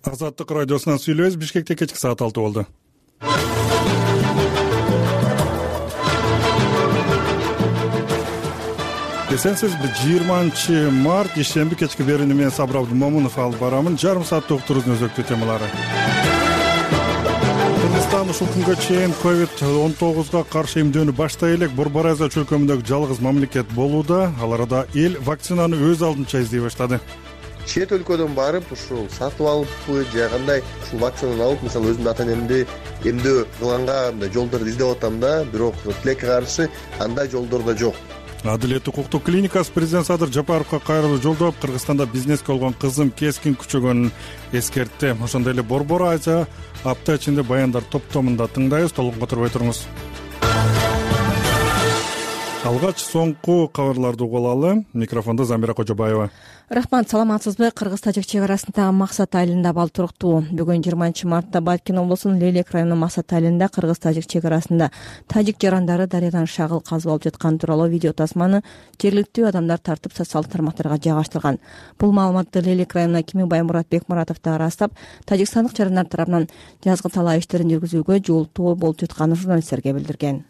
Азаттык радиосунан сүйлөбүз. Бишкекте кечки саат 6 болду. Эсенсиз, 20-март ишемби кечки берүүнү менен Сабыр Абдумомунов алып барамын. Жарым саатта уктуруунун өзөктүү темалары. Кыргызстан ушул күнгө чейин COVID-19 каршы эмдөөнү баштай элек Борбор Азия чөлкөмүндөгү жалгыз мамлекет болууда. Ал арада эл вакцинаны өз алдынча издей баштады. Чет өлкөдөн барып ушул сатып алыппы же кандай ушул вакцинаны алып, мисалы өзүмдүн ата энемди эмдөө кылганга мындай жолдорду издеп атам да, бирок тилекке каршы андай жолдор да жок. Адилет укуктук клиникасы президент Садыр Жапаровго кайрылуу жолдоп, Кыргызстанда бизнеске болгон кызым кескин күчөгөнүн эскертти. Ошондой эле Борбор Азия апта ичинде баяндар топтомунда тыңдайбыз. Толук отурбай туруңуз. Алгач соңку кабарларды угуп алалы. Микрофондо Замира Кожобаева. Рахмат, саламатсызбы? Кыргыз-тажик чек арасындагы Максат айылында абал туруктуу. Бүгүн 20-мартта Баткен облусунун Лелек районунун Максат айылында Кыргыз-тажик чек арасында тажик жарандары дарыядан шагыл казып алып жаткан тууралуу видео тасманы жергиликтүү адамдар тартып социалдык тармактарга жайгаштырган. Бул маалыматты Лелек районунун акими Баймурат Бекмуратов да ырастап, тажикстандык жарандар тарабынан жазгы талаа иштерин жүргүзүүгө жолтоо болуп жатканын журналисттерге билдирген.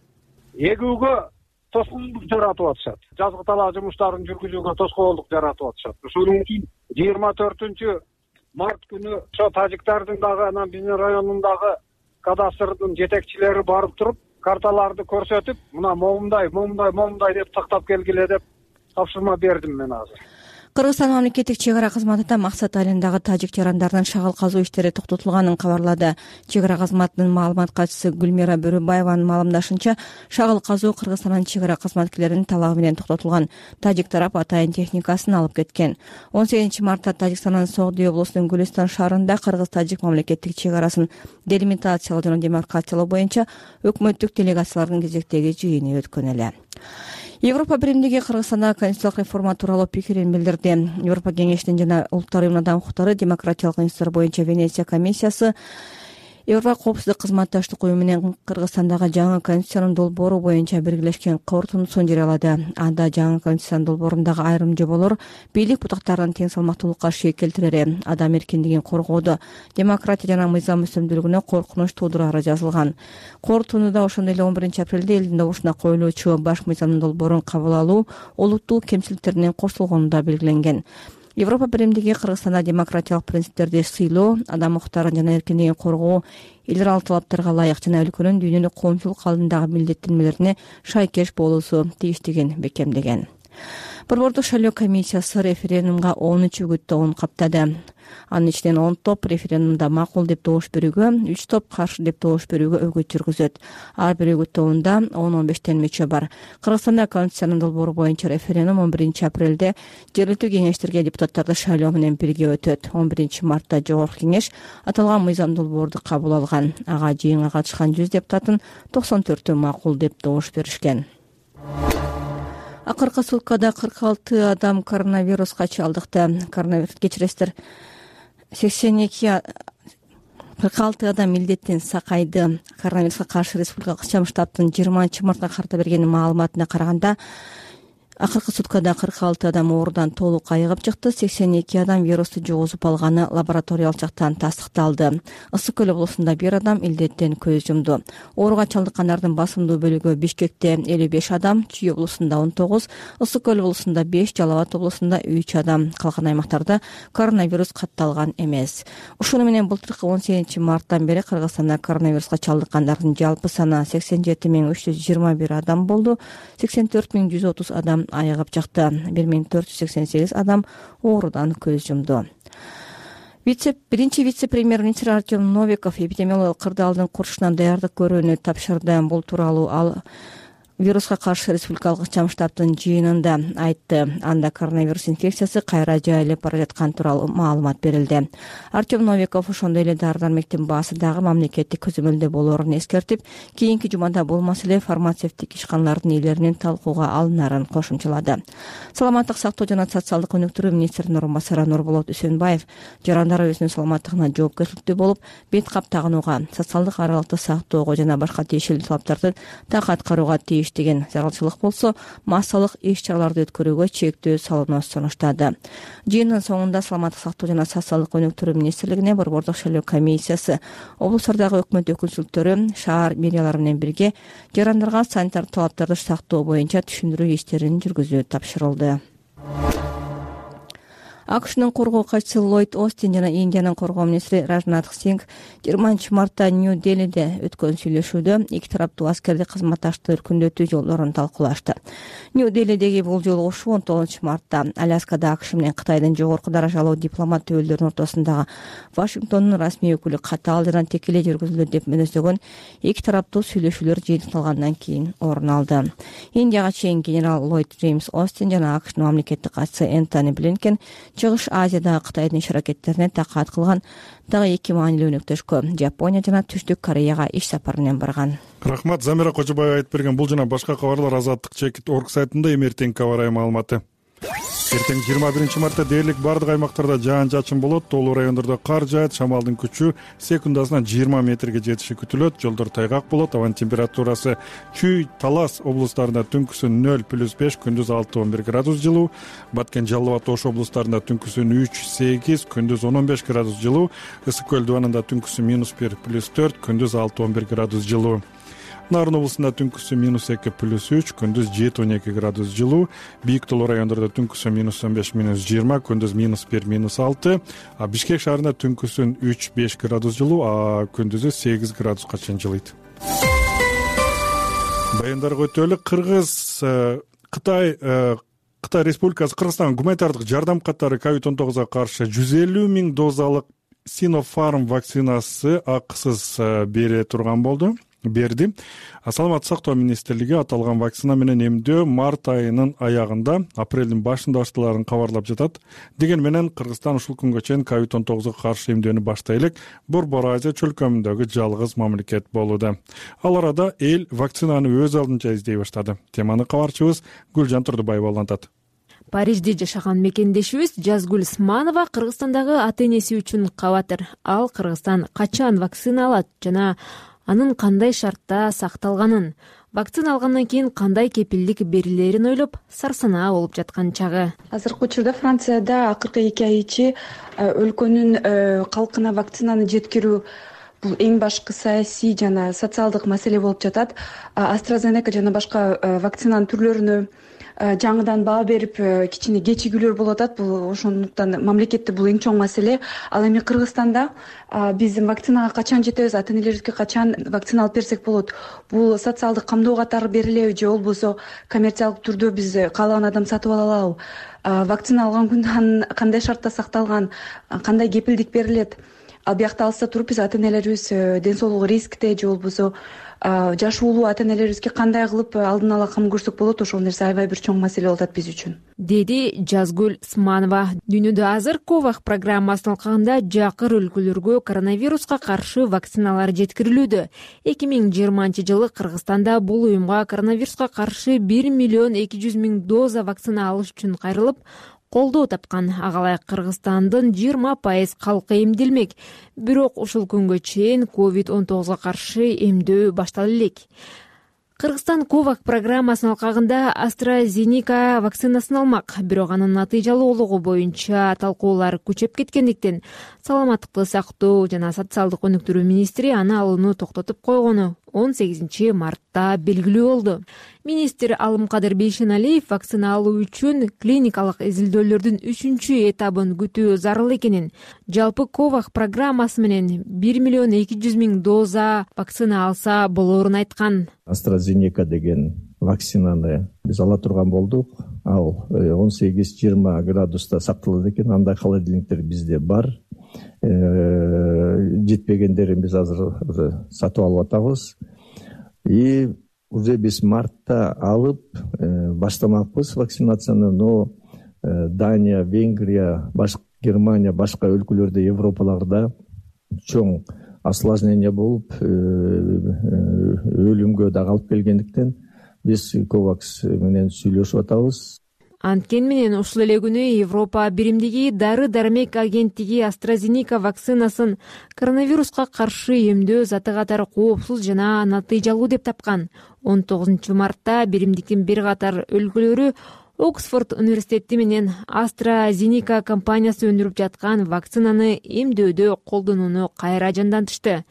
Эгүүгө тоскоолдук жаратып атышат. Жазгы талаа жумуштарын жүргүзүүгө тоскоолдук жаратып атышат. Ошондон кийин 24-март күнү ошо тажиктардын дагы анан биздин районундагы кадастрдын жетекчилери барып туруп, карталарды көрсөтүп, мына момундай деп тактап келгиле деп тапшырма бердим мен азыр. Кыргызстан мамлекеттик чек ара кызматында Максат айылындагы тажик жарандардын шагыл казуу иштери токтотулганын кабарлады. Чек ара кызматынын маалымат катчысы Гүлмира Бөрөбаеванын маалымдашынча, шагыл казуу Кыргызстандын чек ара кызматкерлеринин талабы менен токтотулган. Тажик тарап атайын техникасын алып кеткен. 18-мартта Тажикстандын Согди облусунун Гүлистан шаарында Кыргыз-тажик мамлекеттик чек арасын делимитациялоо жана демаркациялоо боюнча өкмөттүк делегациялардын кезектеги жыйыны өткөн эле. Европа биримдиги Кыргызстанда конституциялык реформа тууралуу пикирин билдирди. Европа кеңешинин жана Улуттар уюмунун адам укуктары демократиялык институттар боюнча Венеция комиссиясы Европа коопсуздук кызматташтык уюму менен Кыргызстандагы жаңы конституциянын долбоору боюнча биргелешкен корутундусун жарыялады. Анда жаңы конституциянын долбоорундагы айрым жоболор бийлик бутактарынын тең салмактуулукка шек келтирери, адам эркиндигин коргоодо, демократия жана мыйзам үстөмдүүлүгүнө коркунуч туудурары жазылган. Корутундуда ошондой эле 11-апрелде элдин добушуна коюлуучу баш мыйзамдын долбоорун кабыл алуу олуттуу кемчиликтеринин кошулгону да белгиленген. Европа биримдиги Кыргызстанда демократиялык принциптерди сыйлоо, адам укуктарын жана эркиндигин коргоо, эл аралык талаптарга ылайык жана өлкөнүн дүйнөлүк коомчулук алдындагы милдеттенмелерине шайкеш болуусу тийиштигин бекемдеген. Борбордук шайлоо комиссиясы референдумга 13 үгүттөөн каптады. Анын ичинен 10 топ референдумда макул деп добуш берүүгө, 3 топ каршы деп добуш берүүгө үгүт жүргүзөт. Ар бир үгүттөөндө 10-15 мөчө бар. Кыргызстанда конституциянын долбоору боюнча референдум 11-апрелде жергиликтүү кеңештерге депутаттарды шайлоо менен бирге өтөт. 11-мартта жогорку кеңеш аталган мыйзам долбоорду кабыл алган. Ага жыйынга катышкан 100 депутаттын 94-ü макул деп добуш беришкен. Акыркы суткада 46 адам коронавируска чалдыкты. Коронавирус кечиресиздер. 46 адам милдеттен сакайды. Коронавируска каршы республикалык ишчам штабтын 20-мартка карата берген маалыматына караганда, акыркы суткада 46 адам оорудан толук айыгып чыкты. 82 адам вирусту жугузуп алганы лабораториялык жактан тастыкталды. Ысык көл облусунда 1 адам илдеттен көз жумду. Ооруга чалдыккандардын басымдуу бөлүгү Бишкекте 55 адам, Чүй облусунда 19, Ысык көл облусунда 5, Жалал Абад облусунда 3 адам. Калган аймактарда коронавирус катталган эмес. Ушуну менен былтыркы 18-марттан бери Кыргызстанда коронавируска чалдыккандардын жалпы саны 87.321 адам болду. 84.130 адам айыгып чыкты. 1488 адам оорудан көз жумду. Биринчи вице-премьер-министр Артем Новиков эпидемиологиялык кырдаалдын курушунан даярдык көрүүнү тапшырды. Бул тууралуу ал вируска каршы республикалык ишчам штабтын жыйынында айтты. Анда коронавирус инфекциясы кайра жайылып бара жаткан тууралуу маалымат берилди. Артем Новиков ошондой эле дары-дармектин баасы дагы мамлекеттик көзөмөлдө болоорун эскертип, кийинки жумада болмаса эле фармацевтик ишканалардын ээлеринин талкууга алынарын кошумчалады. Саламаттык сактоо жана социалдык өнүктүрүү министринин орун басары Нурболот Үсөнбаев жарандар өзүнүн саламаттыгына жоопкерчиликтүү болуп, бет кап тагынууга, социалдык аралыкты сактоого жана башка тиешелүү талаптарды так аткарууга тийиштүү иштеген. Зарылчылык болсо массалык иш-чараларды өткөрүүгө чектөө салууну сунуштады. Жыйындын соңунда Саламаттык сактоо жана социалдык өнүктүрүү министрлигине борбордук шайлоо комиссиясы, облустардагы өкмөт өкүлчүлүктөрү, шаар мэриялары менен бирге жарандарга санитар талаптарды сактоо боюнча түшүндүрүү иштерин жүргүзүү тапшырылды. АКШнын коргоо катчысы Ллойд Остин жана Индиянын коргоо министри Ражнат Сингх 20 мартта Нью-Делиде өткөн сүйлөшүүдө эки тараптуу аскердик кызматташтыкты өркүндөтүү жолдорун талкуулашты. Нью-Делидеги бул жолугушуу 19 мартта Аляскада АКШ менен Кытайдын жогорку даражалуу дипломат өкүлдөрүнүн ортосундагы Вашингтондун расмий өкүлү катаал жана текелей жүргүзүлөт деп мүнөздөгөн эки тараптуу сүйлөшүүлөр жыйынтыкталгандан кийин орун алды. Индияга чейин генерал Ллойд Джеймс Остин жана АКШнын мамлекеттик катчысы Энтони Блинкен Чыгыш Азиядагы Кытайдын иш-аракеттерине такаат кылган дагы эки маанилүү өнөктөшкө Жапония жана Түштүк Кореяга иш сапар менен барган. Рахмат, Замира Кожобаева айтып берген. Бул жана башка кабарлар Азаттык чекит орг сайтында эмертең кабар маалыматы. Эртең 21 мартта дээрлик бардык аймактарда жаан-чачын болот. Тоолуу райондордо кар жаат, шамалдын күчү секундасына 20 метрге жетиши күтүлөт. Жолдор тайгак болот. Абанын температурасы Чүй, Талас облустарында түнкүсүн 0+5, күндүз 6-11 градус жылуу. Баткен, Жалал абад, Ош облустарында түнкүсүн 3-8, күндүз 10-15 градус жылуу. Ысык көл дубанында түнкүсүн -1+4, күндүз 6-11 градус жылуу. Нарын облусунда түнкүсү -2+3, күндүз 7-12 градус жылуу. Бийик тоолуу райондордо түнкүсү -15-20, күндүз -1-6. Бишкек шаарында түнкүсүн 3-5 градус жылуу, күндүзү 8 градуска чейин жылыйт. Баяндарга өтөлү. Кытай Республикасы Кыргызстан гуманитардык жардам катары COVID-19 каршы 150 000 дозалык Sinopharm вакцинасы акысыз берди. Саламаттык сактоо министрлиги аталган вакцина менен эмдөө март айынын аягында, апрелдин башында башталарын кабарлап жатат. Деген менен Кыргызстан ушул күнгө чейин COVID-19 каршы эмдөөнү баштай элек Борбор Азия чөлкөмүндөгү жалгыз мамлекет болууда. Ал арада эл вакцинаны өз алдынча издей баштады. Теманы кабарчыбыз Гүлжан Турдубаева улантат. Парижде жашаган мекендешибиз Жазгүл Сманова Кыргызстандагы ата-энеси үчүн кабатыр. Ал Кыргызстан качан вакцина алат жана анын кандай шартта сакталганын, вакцина алгандан кийин кандай кепилдик берилерин ойлоп сарсанаа болуп жаткан чагы. Азыркы учурда Францияда акыркы 2 ай ичи өлкөнүн калкына вакцинаны жеткирүү бул эң башкы саясий жана социалдык маселе болуп жатат. AstraZeneca жана башка вакцинанын түрлөрүнө жаңыдан баа берип кичине кечигүүлөр болуп атат. Бул ошондуктан мамлекетте бул эң чоң маселе. Ал эми Кыргызстанда биз вакцинага качан жетебиз, ата-энелерибизге качан вакцина алып берсек болот? Бул социалдык камдоо катары берилеби же болбосо коммерциялык түрдө биз каалаган адам сатып ала алабы? Вакцина алган күндөн кандай шартта сакталган, кандай кепилдик берилет? Ал биякта алыста туруп биз ата-энелерибиз ден соолугу рискте же болбосо жашы улуу ата-энелерибизге кандай кылып алдын ала кам көрсөк болот? Ошол нерсе аябай бир чоң маселе болуп атат биз үчүн, деди Жазгүл Сманова. Дүйнөдө азыр COVAX программасынын алкагында жакыр өлкөлөргө коронавируска каршы вакциналар жеткирилүүдө. 2020 жылы Кыргызстанда бул уюмга коронавируска каршы 1 200 000 доза вакцина алыш үчүн кайрылып, колдоо тапкан. Агалай Кыргызстандын 20% калкы эмделмек. Бирок ушул күнгө чейин COVID-19 каршы эмдөө баштала элек. Кыргызстан COVAX программасынын алкагында AstraZeneca вакцинасын алмак. Бирок анын натыйжалуулугу боюнча талкуулар күчөп кеткендиктен саламаттыкты сактоо жана социалдык өнүктүрүү министри аны алууну токтотуп койгону 18 мартта белгилүү болду. Министр Алымкадыр Бейшеналиев вакцина алуу үчүн клиникалык изилдөөлөрдүн 3 этабын күтүү зарыл экенин, жалпы COVAX программасы менен 1 200 000 доза вакцина алса болоорун айткан. AstraZeneca деген вакцинаны биз ала турган болдук. Ал 18-20 градуста сакталат экен. Андай холодильниктер бизде бар. Жетпегендерин биз азыр сатып алып атабыз. И уже биз мартта алып баштамакпыз вакцинацияны, но Дания, Венгрия, Германия, башка өлкөлөрдө, Европаларда чоң осложнение болуп, өлүмгө да алып келгендиктен биз COVAX менен сүйлөшүп атабыз. Анткени менен ушул эле күнү Европа биримдиги дары-дармек агенттиги AstraZeneca вакцинасын коронавируска каршы эмдөө заты катары коопсуз жана натыйжалуу деп тапкан. 19 мартта биримдиктин бир катар өлкөлөрү Оксфорд университети менен AstraZeneca компаниясы өндүрүп жаткан вакцинаны эмдөөдө колдонууну кайра жандантышты.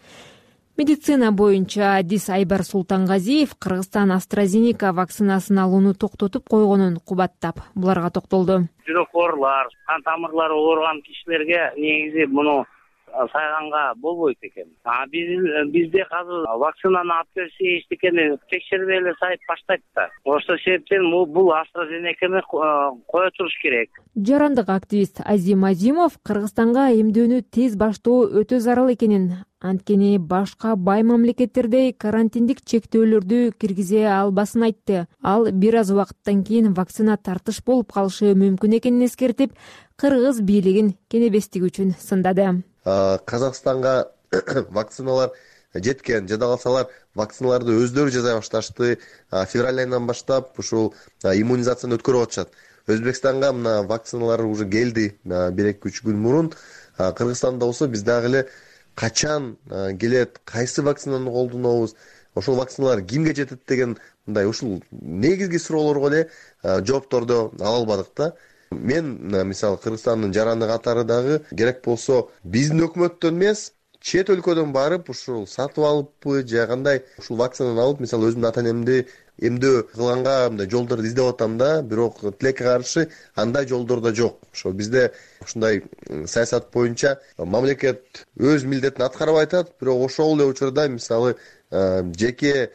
Медицина боюнча адис Айбар Султангазиев Кыргызстан AstraZeneca вакцинасын алууну токтотуп койгонун кубаттап буларга токтолду. Жүрөк оорулар, кан тамырлары ооруган кишилерге негизи муну сайганга болбойт экен. Бизде азыр вакцинаны алып берсе эчтекени текшербей эле сайып баштайт да. Ошол себептен бул AstraZeneca'ны кое туруш керек. Жарандык активист Азим Азимов Кыргызстанга эмдөөнү тез баштоо өтө зарыл экенин, анткени башка бай мамлекеттердей карантиндик чектөөлөрдү киргизе албасын айтты. Ал бир аз убакыттан кийин вакцина тартыш болуп калышы мүмкүн экенин эскертип, кыргыз бийлигин кенебестиги үчүн сындады. Казакстанга вакциналар жеткен, жада калсалар вакциналарды өздөрү жасай башташты. Февраль айынан баштап ушул иммунизацияны өткөрүп атышат. Өзбекстанга мына вакциналар уже келди 1-2-3 күн мурун. Кыргызстанда болсо биз дагы эле качан келет, кайсы вакцинаны колдонобуз, ошол вакциналар кимге жетет деген мындай ушул негизги суроолорго эле жоопторду ала албадык да. Мен мисалы Кыргызстандын жараны катары дагы керек болсо биздин өкмөттөн эмес, чет өлкөдөн барып ушул сатып алыппы же кандай ушул вакцинаны алып, мисалы өзүмдүн ата-энемди эмдөө кылганга мындай жолдорду издеп атам да, бирок тилекке каршы андай жолдор да жок. Ошо бизде ушундай саясат боюнча мамлекет өз милдетин аткарып атат, бирок ошол эле учурда мисалы жеке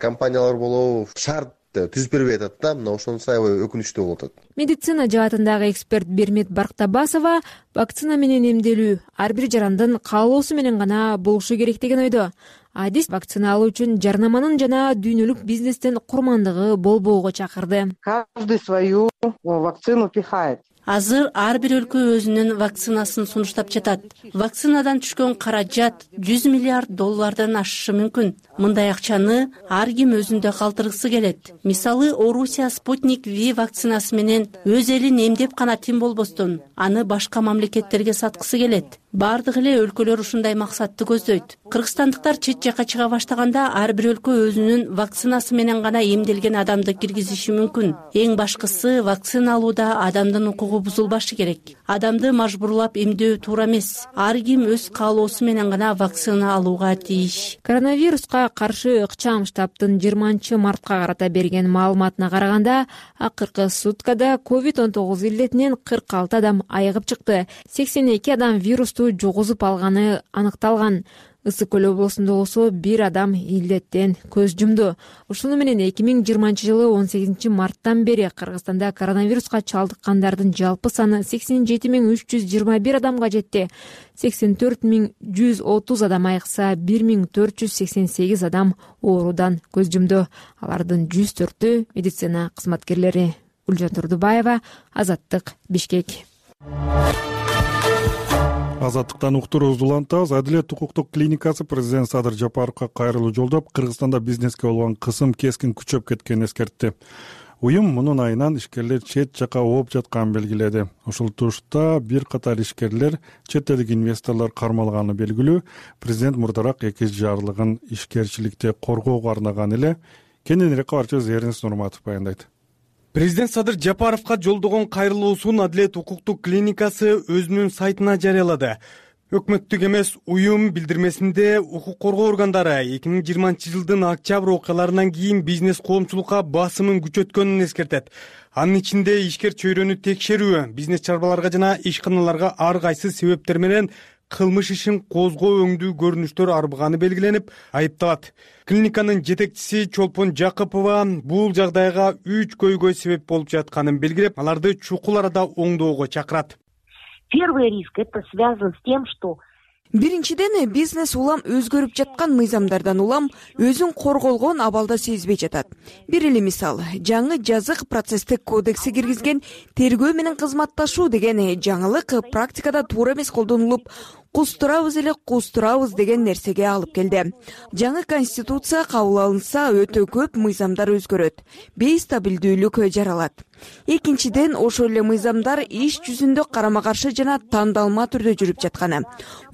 компаниялар болобу шарт түзүп бербей атат да, мына ошонусу аябай өкүнүчтүү болуп атат. Медицина жаатындагы эксперт Бермет Барктабасова вакцина менен эмделүү ар бир жарандын каалоосу менен гана болушу керек деген ойдо. Адис вакцина алуу үчүн жарнаманын жана дүйнөлүк бизнестен курмандыгы болбоого чакырды. Каждый свою вакцину пихает. Азыр ар бир өлкө өзүнүн вакцинасын сунуштап жатат. Вакцинадан түшкөн каражат $100 миллиард ашышы мүмкүн. Мындай акчаны ар ким өзүндө калтыргысы келет. Мисалы, Орусия Спутник V вакцинасы менен өз элин эмдеп гана тим болбостон, аны башка мамлекеттерге саткысы келет. Бардык эле өлкөлөр ушундай максатты көздөйт. Кыргызстандыктар чет жака чыга баштаганда ар бир өлкө өзүнүн вакцинасы менен гана эмделген адамды киргизиши мүмкүн. Эң башкысы вакцина алууда адамдын укугу бузулбашы керек. Адамды мажбурлап эмдөө туура эмес. Ар ким өз каалоосу менен гана вакцина алууга тийиш. Коронавируска каршы ыкчам штабтын 20 мартка карата берген маалыматына караганда, акыркы суткада COVID-19 илдетинен 46 адам айыгып чыкты. 82 адам вирусту жугузуп алганы аныкталган. Ысык Көл облусунда болсо бир адам илдеттен көз жумду. Ушуну менен 2020 жылы 18 марттан бери Кыргызстанда коронавируска чалдыккандардын жалпы саны 87.321 адамга жетти. 84.130 адам айыкса, 1.488 адам оорудан көз жумду. Алардын 104-ü медицина кызматкерлери. Гүлжан Турдубаева, Азаттык, Бишкек. Азаттыктан уктурубузду улантабыз. Адилет укуктук клиникасы президент Садыр Жапаровго кайрылуу жолдоп, Кыргызстанда бизнеске болгон кысым кескин күчөп кеткенин эскертти. Уюм мунун айынан ишкерлер чет жака ооп жатканын белгиледи. Ушул тушта бир катар ишкерлер, чет элдик инвесторлор кармалганы белгилүү. Президент мурдараак эки жарлыгын ишкерчиликти коргоого арнаган эле. Кененирээк кабарчыбыз Эрнис Нурматов баяндайт. Президент Садыр Жапаровго жолдогон кайрылуусун Адилет укуктук клиникасы өзүнүн сайтына жарыялады. Өкмөттүк эмес уюм билдирмесинде укук коргоо органдары 2020 жылдын октябрь окуяларынан кийин бизнес коомчулукка басымын күчөткөнүн эскертет. Анын ичинде ишкер чөйрөнү текшерүү, бизнес чарбаларга жана ишканаларга ар кайсы себептер менен кылмыш ишин козгоо өңдүү көрүнүштөр арбыганы белгиленип, айыпталат. Клиниканын жетекчиси Чолпон Жакыпова бул жагдайга 3 көйгөй себеп болуп жатканын белгилеп, аларды чукул арада оңдоого чакырат. Первый риск это связан с тем, что Биринчиден, бизнес улам өзгөрүп жаткан мыйзамдардан улам өзүн корголгон абалда сезбей жатат. Бир эле мисал, жаңы жазык процесстик кодекси киргизген тергөө менен кызматташуу деген жаңылык практикада туура эмес колдонулуп, кустурабыз эле кустурабыз деген нерсеге алып келди. Жаңы конституция кабыл алынса өтө көп мыйзамдар өзгөрөт, бейстабилдүүлүк жаралат. Экинчиден, ошол эле мыйзамдар иш жүзүндө карама каршы жана тандалма түрдө жүрүп жатканы.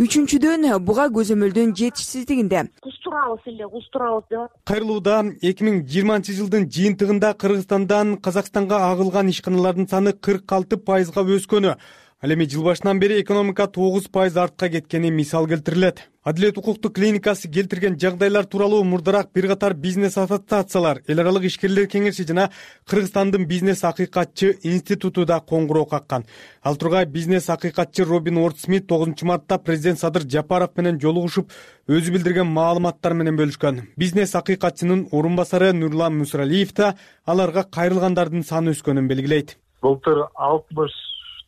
Үчүнчүдөн, буга көзөмөлдөн жетишсиздигинде. Кустурабыз эле кустурабыз деп. Кайрылууда 2020-жылдын жыйынтыгында Кыргызстандан Казакстанга агылган ишканалардын саны 46%га өскөнү, ал эми жыл башынан бери экономика 9% артка кеткени мисал келтирилет. Адилет укуктук клиникасы келтирген жагдайлар тууралуу мурдараак бир катар бизнес ассоциациялар, эл аралык ишкерлер кеңеши жана Кыргызстандын бизнес акыйкатчы институту да коңгуроо каккан. Ал тургай бизнес акыйкатчы Робин Уорд-Смит 9-мартта президент Садыр Жапаров менен жолугушуп, өзү билдирген маалыматтар менен бөлүшкөн. Бизнес акыйкатчынын орун басары Нурлан Мусралиев да аларга кайрылгандардын саны өскөнүн белгилейт. Былтыр 60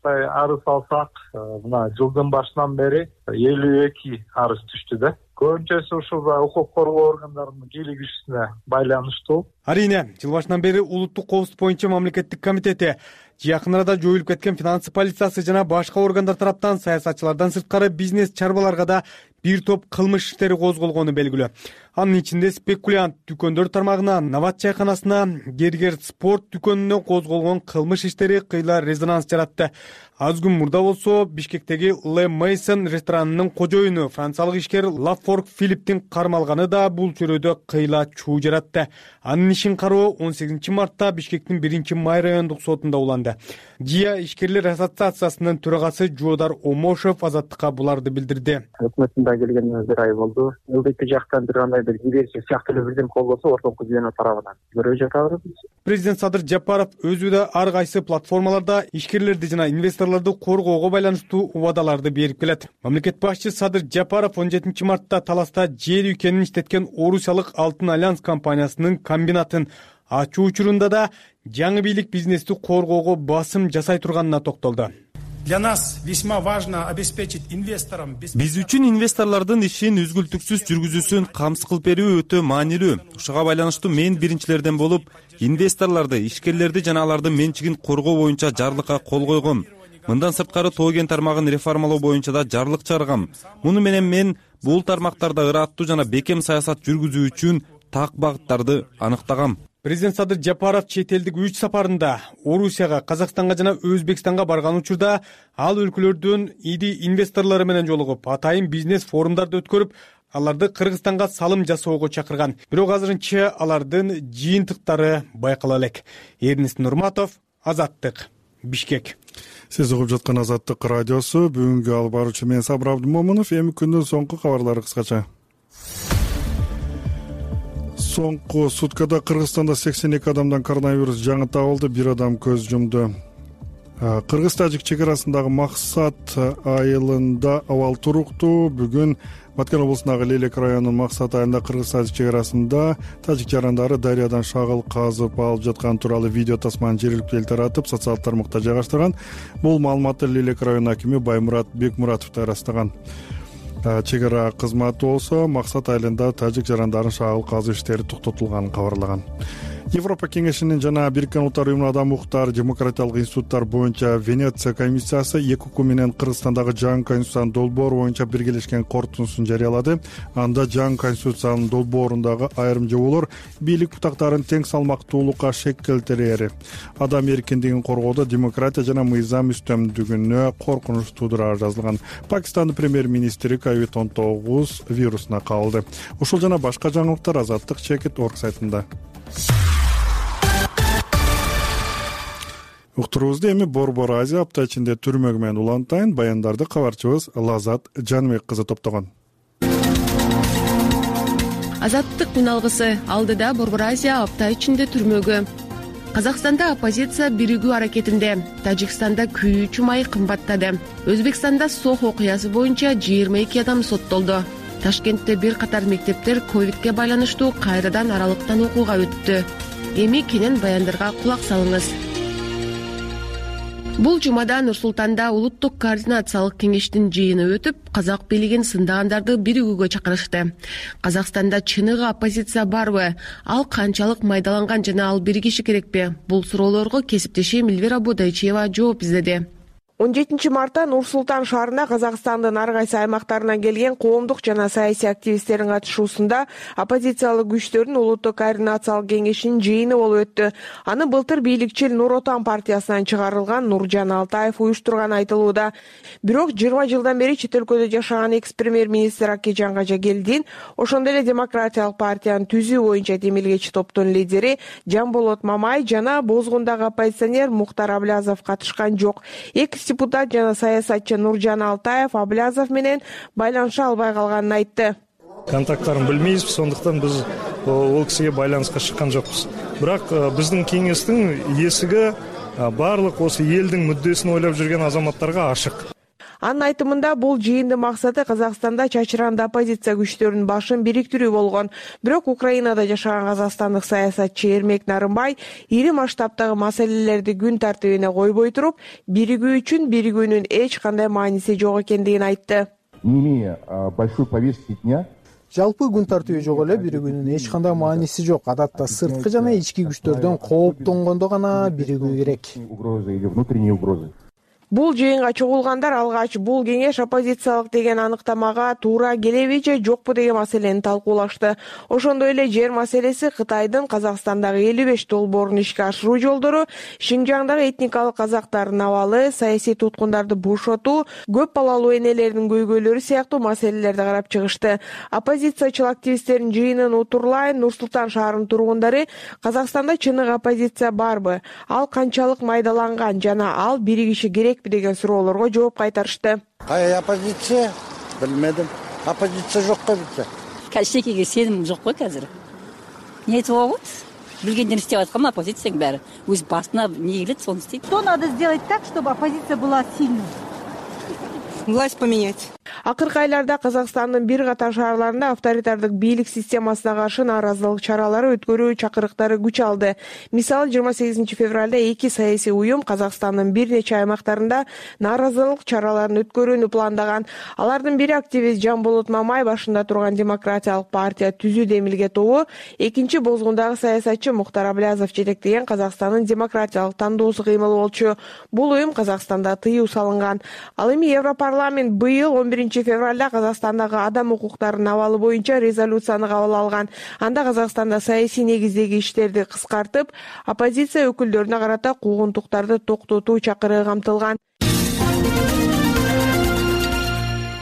арыз алсак, мына жылдын башынан бери 52 арыз түштү да. Көбүнчөсү ушул укук коргоо органдарынын кийлигишине байланыштуу. Арийне, жыл башынан бери улуттук коопсуздук боюнча мамлекеттик комитети, жакын арада жоюлуп кеткен финансы полициясы жана башка органдар тараптан саясатчылардан сырткары бизнес чарбаларга да бир топ кылмыш иштери козголгону белгилүү. Анын ичинде спекулянт дүкөндөр тармагына, Нават чайканасына, Гергер спорт дүкөнүнө козголгон кылмыш иштери кыйла резонанс жаратты. Аз күн мурда болсо, Бишкектеги Le Maison ресторанынын кожоюну, франциялык ишкер Лафорг Филипптин кармалганы да бул чөйрөдө кыйла чуу жаратты. Анын ишин кароо 18-мартта Бишкектин 1-май райондук сотунда уланды. ЖИА ишкерлер ассоциациясынын төрагасы Жуудар Омошев Азаттыкка буларды билдирди. Өкмөттүн да келгенине бир ай болду. ЛДП жактан бир кандай бир диверсия сыяктуу эле бирдем колбосо ортоңку звено тарабынан көрүп жатабыз. Президент Садыр Жапаров өзү да ар кайсы платформаларда ишкерлерди жана инвесторлорду коргоого байланыштуу убадаларды берип келет. Мамлекет башчы Садыр Жапаров 17-мартта Таласта жер үйкенин иштеткен Орусиялык Алтын Альянс компаниясынын комбинатын ачуу учурунда да жаңы бийлик бизнести коргоого басым жасай турганына токтолду. Для нас весьма важно обеспечить инвесторам. Биз үчүн инвесторлордун ишин үзгүлтүксүз жүргүзүүсүн камсыз кылып берүү өтө маанилүү. Ушуга байланыштуу мен биринчилерден болуп, инвесторлорду, ишкерлерди жана алардын менчигин коргоо боюнча жарлыкка кол койгом. Мындан сырткары тоо кен тармагын реформалоо боюнча да жарлык чыгаргам. Муну менен мен бул тармактарда ыраттуу жана бекем саясат жүргүзүү үчүн так багыттарды аныктагам. Президент Садыр Жапаров чет элдик 3 сапарында Орусияга, Казакстанга жана Өзбекстанга барган учурда ал өлкөлөрдүн иди инвесторлору менен жолугуп, атайын бизнес форумдарды өткөрүп, аларды Кыргызстанга салым жасоого чакырган. Бирок азырынча алардын жыйынтыктары байкала элек. Эрнест Нурматов, Азаттык, Бишкек. Сиз угуп жаткан Азаттык радиосу. Бүгүнкү алып баруучу мен Сабыр Абдымомунов. Эми күндүн соңку кабарлары кыскача. Соңку суткада Кыргызстанда 82 адамдан коронавирус жаңы табылды, бир адам көз жумду. Кыргыз-тажик чек арасындагы Максат айылында абал туруктуу. Бүгүн Баткен облусундагы Лелек районунун Максат айылында Кыргыз-тажик чек арасында тажик жарандары дарыядан шагыл казып алып жаткан тууралуу видео тасманы жергиликтүү эл таратып, социалдык тармакта жайгаштырган. Бул маалыматты Лелек районунун акими Баймурат Бекмуратов да ырастаган. Чек ара кызматы болсо Максат айылында тажик жарандарын шагыл казуу иштери токтотулганын кабарлаган. Европа кеңешинин жана Бириккен Улуттар уюмунун адам укуктары демократиялык институттар боюнча Венеция комиссиясы 2 укук менен Кыргызстандагы жаңы конституциянын долбоору боюнча биргелешкен корутундусун жарыялады. Анда жаңы конституциянын долбоорундагы айрым жоболор бийлик бутактарын тең салмактуулукка шек келтирери, адам эркиндигин коргоодо демократия жана мыйзам үстөмдүгүнө коркунуч туудурары жазылган. Пакистандын премьер-министри COVID-19 вирусуна кабылды. Ушул жана башка жаңылыктар Азаттык Чекит.org сайтында. Уктурубузду эми Борбор Азия апта ичинде түрмөгү менен улантайын баяндарды кабарчыбыз Лазат Жаныбек кызы топтогон. Азаттык күн алгысы алдыда Борбор Азия апта ичинде түрмөгү. Казакстанда оппозиция биригүү аракетинде, Тажикстанда күйүүчү май кымбаттады. Өзбекстанда Сох окуясы боюнча 22 адам соттолду. Ташкентте бир катар мектептер ковидке байланыштуу кайрадан аралыктан окууга өттү. Эми кенен баяндарга кулак салыңыз. Бул жумада Нур-Султанда улуттук координациялык кеңештин жыйыны өтүп, казак бийлигин сындагандарды биригүүгө чакырышты. Казакстанда чыныгы оппозиция барбы? Ал канчалык майдаланган жана ал биригиши керекпи? Бул суроолорго кесиптешим Эльвира Бодайчиева жооп издеди. 17 Нур Султан шаарында Казакстандын ар кайсы аймактарынан келген коомдук жана саясий активисттердин катышуусунда оппозициялык күчтөрдүн улуттук координациялык кеңешинин жыйыны болуп өттү. Аны былтыр бийликчил Нур Отан партиясынан чыгарылган Нуржан Алтаев уюштурганы айтылууда. Бирок 20 жылдан бери чет өлкөдө жашаган экс-премьер-министр Акежан Кажагелдин, ошондой эле Демократиялык партияны түзүү боюнча демилгечи топтун лидери Жамболот Мамай жана Бозгундагы оппозиционер Мухтар Аблязов катышкан жок. Экс-депутат жана саясатчы Нуржан Алтаев Аблязов менен байланыша албай калганын айтты. Контакттарын билмейбиз, сондуктан биз ол кишиге байланыска чыккан жокпуз. Бирок биздин кеңештин эсиги баардык осы элдин мүддесин ойлоп жүргөн азаматтарга ашык. Анын айтымында бул жыйындын максаты Казакстанда чачыранды оппозиция күчтөрүнүн башын бириктирүү болгон. Бирок Украинада жашаган казакстандык саясатчы Эрмек Нарымбай ири масштабтагы маселелерди күн тартибине койбой туруп, биригүү үчүн биригүүнүн эч кандай мааниси жок экендигин айтты. Не имея большой повестки дня, жалпы күн тартиби жок эле, биригүүнүн эч кандай мааниси жок. Адатта сырткы жана ички күчтөрдөн кооптонгондо гана биригүү керек. Угрозы или внутренние угрозы. Бул жыйынга чогулгандар алгач бул кеңеш оппозициялык деген аныктамага туура келеби же жокпу деген маселени талкуулашты. Ошондой эле жер маселеси, Кытайдын Казакстандагы 55 долбоорун ишке ашыруу жолдору, Шинжаңдагы этникалык казактардын абалы, саясий туткундарды бошотуу, көп балалуу энелердин көйгөйлөрү сыяктуу маселелерди карап чыгышты. Оппозициячыл активисттердин жыйынын утурлайын Нур Султан шаарынын тургундары Казакстанда чыныгы оппозиция барбы, ал канчалык майдаланган жана ал биригиши керек деген суроолорго жооп кайтарышты. Кай оппозиция? Билмедим. Оппозиция жокко бизде. Качекеге сеним жок кой азыр. Не айтып болот? Билгенден иштеп аткан оппозицияның баары. Өз басына не келет, соны істейт. Что надо сделать так, чтобы оппозиция была сильной? Власть поменять. Акыркы айларда Казакстандын бир катар шаарларында авторитардык бийлик системасына каршы нааразылык чаралары өткөрүү чакырыктары күч алды. Мисалы 28 февралда 2 саясий уюм Казакстандын бир нече аймактарында нааразылык чараларын өткөрүүнү пландаган. Алардын бири активист Жамболот Мамай башында турган Демократиялык партия түзүү демилге тобу, экинчи Бозгундагы саясатчы Мухтар Аблязов жетектеген Казакстандын демократиялык тандоосу кыймыл болчу. Бул уюм Казакстанда тыюу салынган. Ал эми Европарламент быйыл 11 февралда Казакстандагы адам укуктарынын абалы боюнча резолюцияны кабыл алган. Анда Казакстанда саясий негиздеги иштерди кыскартып, оппозиция өкүлдөрүнө карата куугунтуктарды токтотуу чакырыгы камтылган.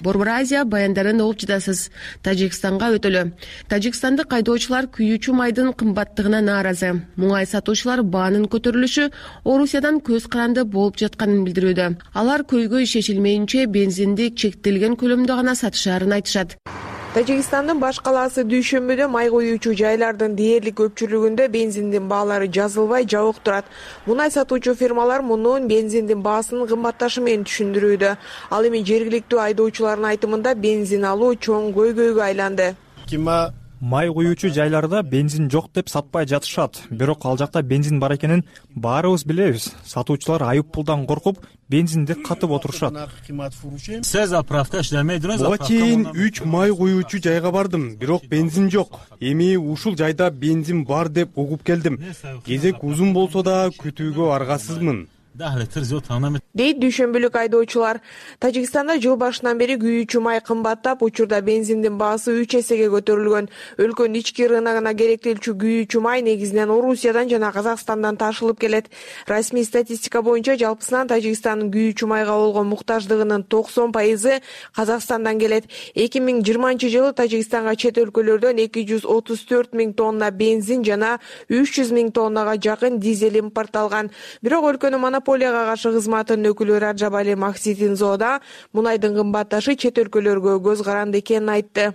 Борбор Азия баяндарын угуп жатасыз. Тажикстанга өтөлү. Тажикстандык айдоочулар күйүүчү майдын кымбаттыгына нааразы. Муңай сатуучулар баанын көтөрүлүшү Орусиядан көз каранды болуп жатканын билдирүүдө. Алар көйгөй чечилмейинче бензинди чектелген көлөмдө гана сатышаарын айтышат. Тажикстандын баш калаасы Дүйшөмбүдө май коюучу жайлардын дээрлик көпчүлүгүндө бензиндин баалары жазылбай жабык турат. Мунай сатуучу фирмалар мунун бензиндин баасынын кымбатташы менен түшүндүрүүдө. Ал эми жергиликтүү айдоочулардын айтымында бензин алуу чоң көйгөйгө айланды. Май коюучу жайларда бензин жок деп сатпай жатышат. Бирок ал жакта бензин бар экенин баарыбыз билебиз. Сатуучулар айып пулдан коркуп, бензинди катып отурушат. Буга чейин 3 май коюучу жайга бардым, бирок бензин жок. Эми ушул жайда бензин бар деп угуп келдим. Кезек узун болсо да күтүүгө аргасызмын. Дейт дүйшөмбүлүк айдоочулар. Тажикстанда жыл башынан бери күйүүчү май кымбаттап, учурда бензиндин баасы 3 эсеге көтөрүлгөн. Өлкөнүн ички рыногуна керектелчү күйүүчү май негизинен Орусиядан жана Казакстандан ташылып келет. Расмий статистика боюнча жалпысынан Тажикстандын күйүүчү майга болгон муктаждыгынын 90% Казакстандан келет. 2020-жылы Тажикстанга чет өлкөлөрдөн 234 000 тонна бензин жана 300 000 тоннага жакын дизель импортталган. Бирок өлкөнүн монополияга каршы кызматынын өкүлү Раджабали Макситинзода мунайдын кымбатташы чет өлкөлөргө көз каранды экенин айтты.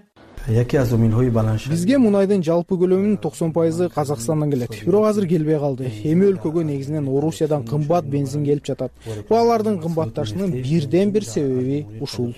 Бизге мунайдын жалпы көлөмүнүн 90% Казакстандан келет. Бирок азыр келбей калды. Эми өлкөгө негизинен Орусиядан кымбат бензин келип жатат. Алардын кымбатташынын бирден бир себеби ушул.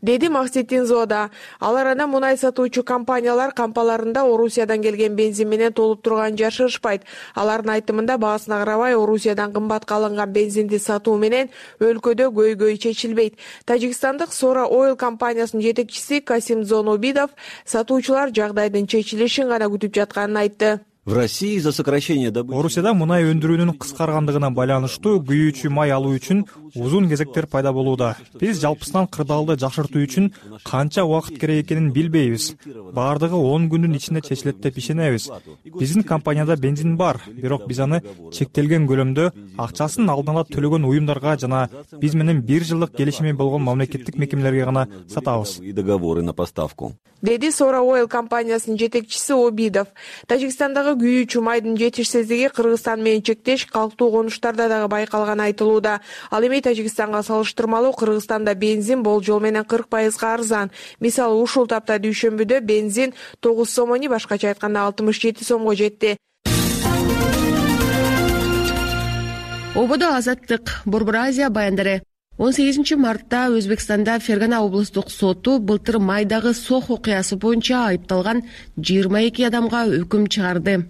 Деди Макситинзода. Ал арада мунай сатуучу компаниялар кампаларында Орусиядан келген бензин менен толуп турган жашырышпайт. Алардын айтымында баасына карабай Орусиядан кымбатка алынган бензинди сатуу менен өлкөдө көйгөй чечилбейт. Тажикстандык Sora Oil компаниясынын жетекчиси Касим Зонобидов сатуучулар жагдайдын чечилишин гана күтүп жатканын айтты. В России из-за сокращения добычи. Орусияда мунай өндүрүүнүн кыскаргандыгына байланыштуу күйүүчү май алуу үчүн узун кезектер пайда болууда. Биз жалпысынан кырдаалды жакшыртуу үчүн канча убакыт керек экенин билбейбиз. Бардыгы 10 күндүн ичинде чечилет деп ишенебиз. Биздин компанияда бензин бар, бирок биз аны чектелген көлөмдө акчасын алдын ала төлөгөн уюмдарга жана биз менен 1 жылдык келишими болгон мамлекеттик мекемелерге гана сатабыз. Договоры на поставку. Деди Сора Ойл компаниясынын жетекчиси Обидов. Тажикстандагы күйүүчү майдын жетишсиздиги Кыргызстан менен чектеш калктуу конуштарда дагы байкалганы айтылууда. Ал эми Тажикстанга салыштырмалуу Кыргызстанда бензин болжол менен 40% арзан. Мисалы, ушул тапта дүйшөмбүдө бензин 9 сомони, башкача айтканда 67 сомго жетти. Ободо Азаттык, Борбор Азия баяндары. 18 мартта Өзбекстанда Фергана облустук соту былтыр майдагы сох окуясы боюнча айыпталган 22 адамга өкүм чыгарды.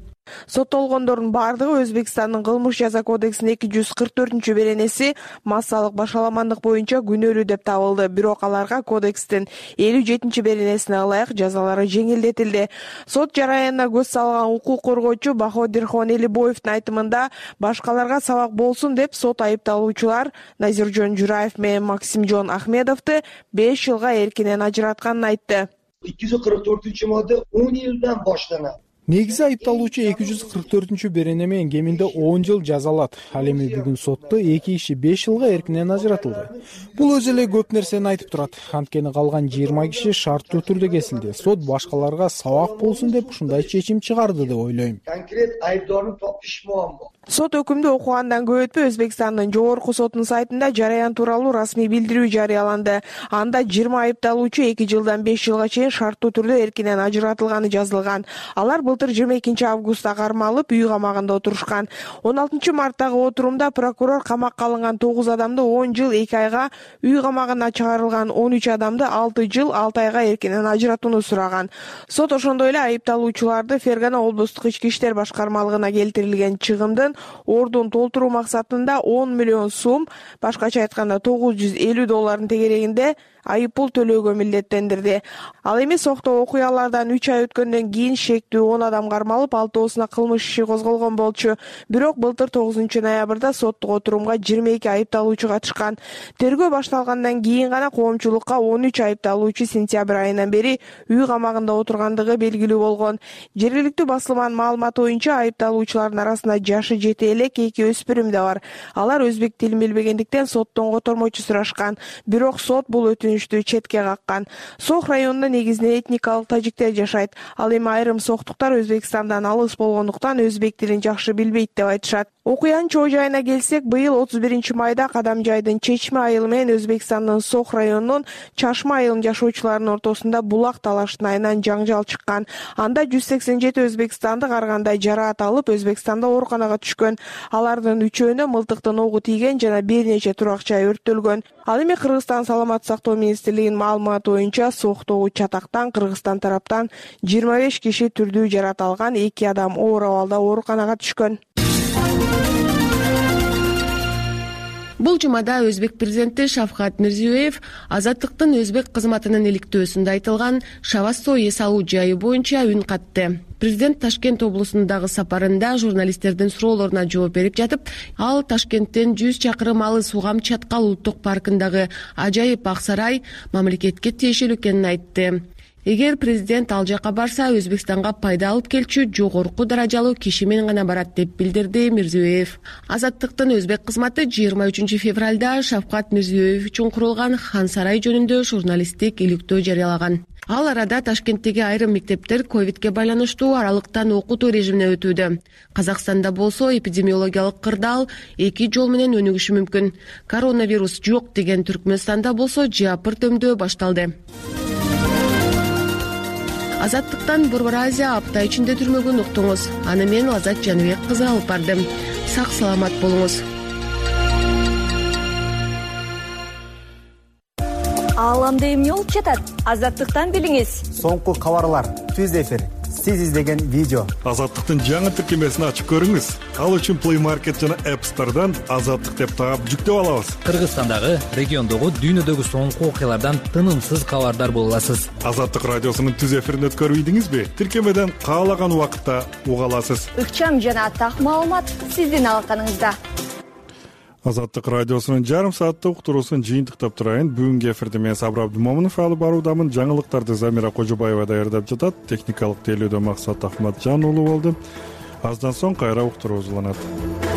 Соттолгондордун бардыгы Өзбекстандын кылмыш жаза кодексинин 244-беренеси массалык башаламандык боюнча күнөөлүү деп табылды. Бирок аларга кодекстин 57-беренесине ылайык жазалары жеңилдетилди. Сот жараянына көз салган укук коргоочу Баходирхон Элибоевдин айтымында башкаларга сабак болсун деп сот айыпталуучулар Назиржон Жураев менен Максимжон Ахмедовду 5 жылга эркинен ажыратканын айтты. 244-модда 10 жылдан баштанат. Негизи айыпталуучу 244-берене менен кеминде 10 жыл жазалат. Ал эми бүгүн сотто 2 киши 5 жылга эркинен ажыратылды. Бул өзү эле көп нерсени айтып турат. Анткени калган 20 киши шарттуу түрдө кесилди. Сот башкаларга сабак болсун деп ушундай чечим чыгарды деп ойлойм. Конкрет айыптоонун топуш муаммо. Сот өкүмдү окугандан көп өтпөй Өзбекстандын жогорку сотунун сайтында жараян тууралуу расмий билдирүү жарыяланды. Анда 20 айыпталуучу 2 жылдан 5 жылга чейин шарттуу түрдө эркинен ажыратылганы жазылган. Алар былтыр 22 августта кармалып, үй камагында отурушкан. 16 марттагы отурумда прокурор камакка алынган 9 адамды 10 жыл 2 айга, үй камагына чыгарылган 13 адамды 6 жыл 6 айга эркинен ажыратууну сураган. Сот ошондой эле айыпталуучуларды Фергана облустук ички иштер башкармалыгына келтирилген чыгымдын ордун толтуруу максатында 10 миллион сом, башкача айтканда $950 тегерегинде айыппул төлөөгө милдеттендирди. Ал эми сокто окуялардан 3 ай өткөндөн кийин шектүү 10 адам кармалып, 6-оосуна кылмыш иши козголгон болчу. Бирок былтыр 9 ноябрда соттук отурумга 22 айыпталуучу катышкан. Тергөө башталгандан кийин гана коомчулукка 13 айыпталуучу сентябрь айынан бери үй камагында отургандыгы белгилүү болгон. Жергиликтүү басылманын маалыматы боюнча айыпталуучулардын арасында жашы жете элек 2 өспүрүм да бар. Алар өзбек тилин билбегендиктен соттон котормочу сурашкан. Бирок сот бул өтүнүштү четке каккан. Сох районунда негизинен этникалык тажиктер жашайт. Ал эми айрым соктуктар Өзбекстандан алыс болгондуктан өзбек тилин жакшы билбейт деп айтышат. Окуянын чоо жайына келсек, быйыл 31 майда Кадам жайдын Чечме айылы менен Өзбекстандын Сох районунун Чашма айылынын жашоочуларынын ортосунда булак талаштын айынан жаңжал чыккан. Анда 187 өзбекстандык ар кандай жараат алып, Өзбекстанда ооруканага түшкөн. Алардын 3-өөнө мылтыктын огу тийген жана бир нече турак жай өрттөлгөн. Ал эми Кыргызстан саламаттык сактоо министрлигинин маалыматы боюнча соктогу чатактан Кыргызстан тараптан 25 киши түрдүү жараат алган, 2 адам оор абалда ооруканага түшкөн. Бул жумада өзбек президенти Шавкат Мирзиёев Азаттыктын өзбек кызматынын иликтөөсүндө айтылган Шавассо эс алуу жайы боюнча үн катты. Президент Ташкент облусундагы сапарында журналисттердин суроолоруна жооп берип жатып, ал Ташкенттен 100 чакырым алыс Угам Чаткал улуттук паркындагы ажайып ак сарай мамлекетке тиешелүү экенин айтты. Эгер президент ал жака барса, Өзбекстанга пайда алып келчү жогорку даражалуу киши менен гана барат деп билдирди Мирзиёев. Азаттыктын өзбек кызматы 23 февралда Шавкат Мирзиёев үчүн курулган Хан сарай жөнүндө журналисттик иликтөө жарыялаган. Ал арада Ташкенттеги айрым мектептер ковидке байланыштуу аралыктан окутуу режимине өтүүдө. Казакстанда болсо эпидемиологиялык кырдаал 2 жол менен өнүгүшү мүмкүн. Коронавирус жок деген Түркмөнстанда болсо жапыр дөмдөө башталды. Азаттыктан Борбор Азия апта ичинде түрмөгүн уктуңуз. Аны мен Азат Жаныбек кызы алып бардым. Сак саламат болуңуз. Ааламда эмне болуп жатат? Азаттыктан билиңиз. Соңку кабарлар, түз эфир, сиз издеген видео. Азаттыктын жаңы тиркемесин ачып көрүңүз. Ал үчүн Play Market жана App Store'дан Азаттык деп таап жүктөп алабыз. Кыргызстандагы, региондогу, дүйнөдөгү соңку окуялардан тынымсыз кабардар боло аласыз. Азаттык радиосунун түз эфирин өткөрбөйдүңүзбү? Тиркемеден каалаган убакытта уга аласыз. Ыкчам жана так маалымат сиздин алаканыңызда. Азаттык радиосунун жарым сааттык уктуруусун жыйынтыктап турайын. Бүгүнкү эфирди мен Сабыр Абдымомунов алып баруудамын. Жаңылыктарды Замира Кожобаева даярдап жатат. Техникалык тейлөөдө Максат Ахматжан уулу болду. Аздан соң кайра уктуруубуз уланат.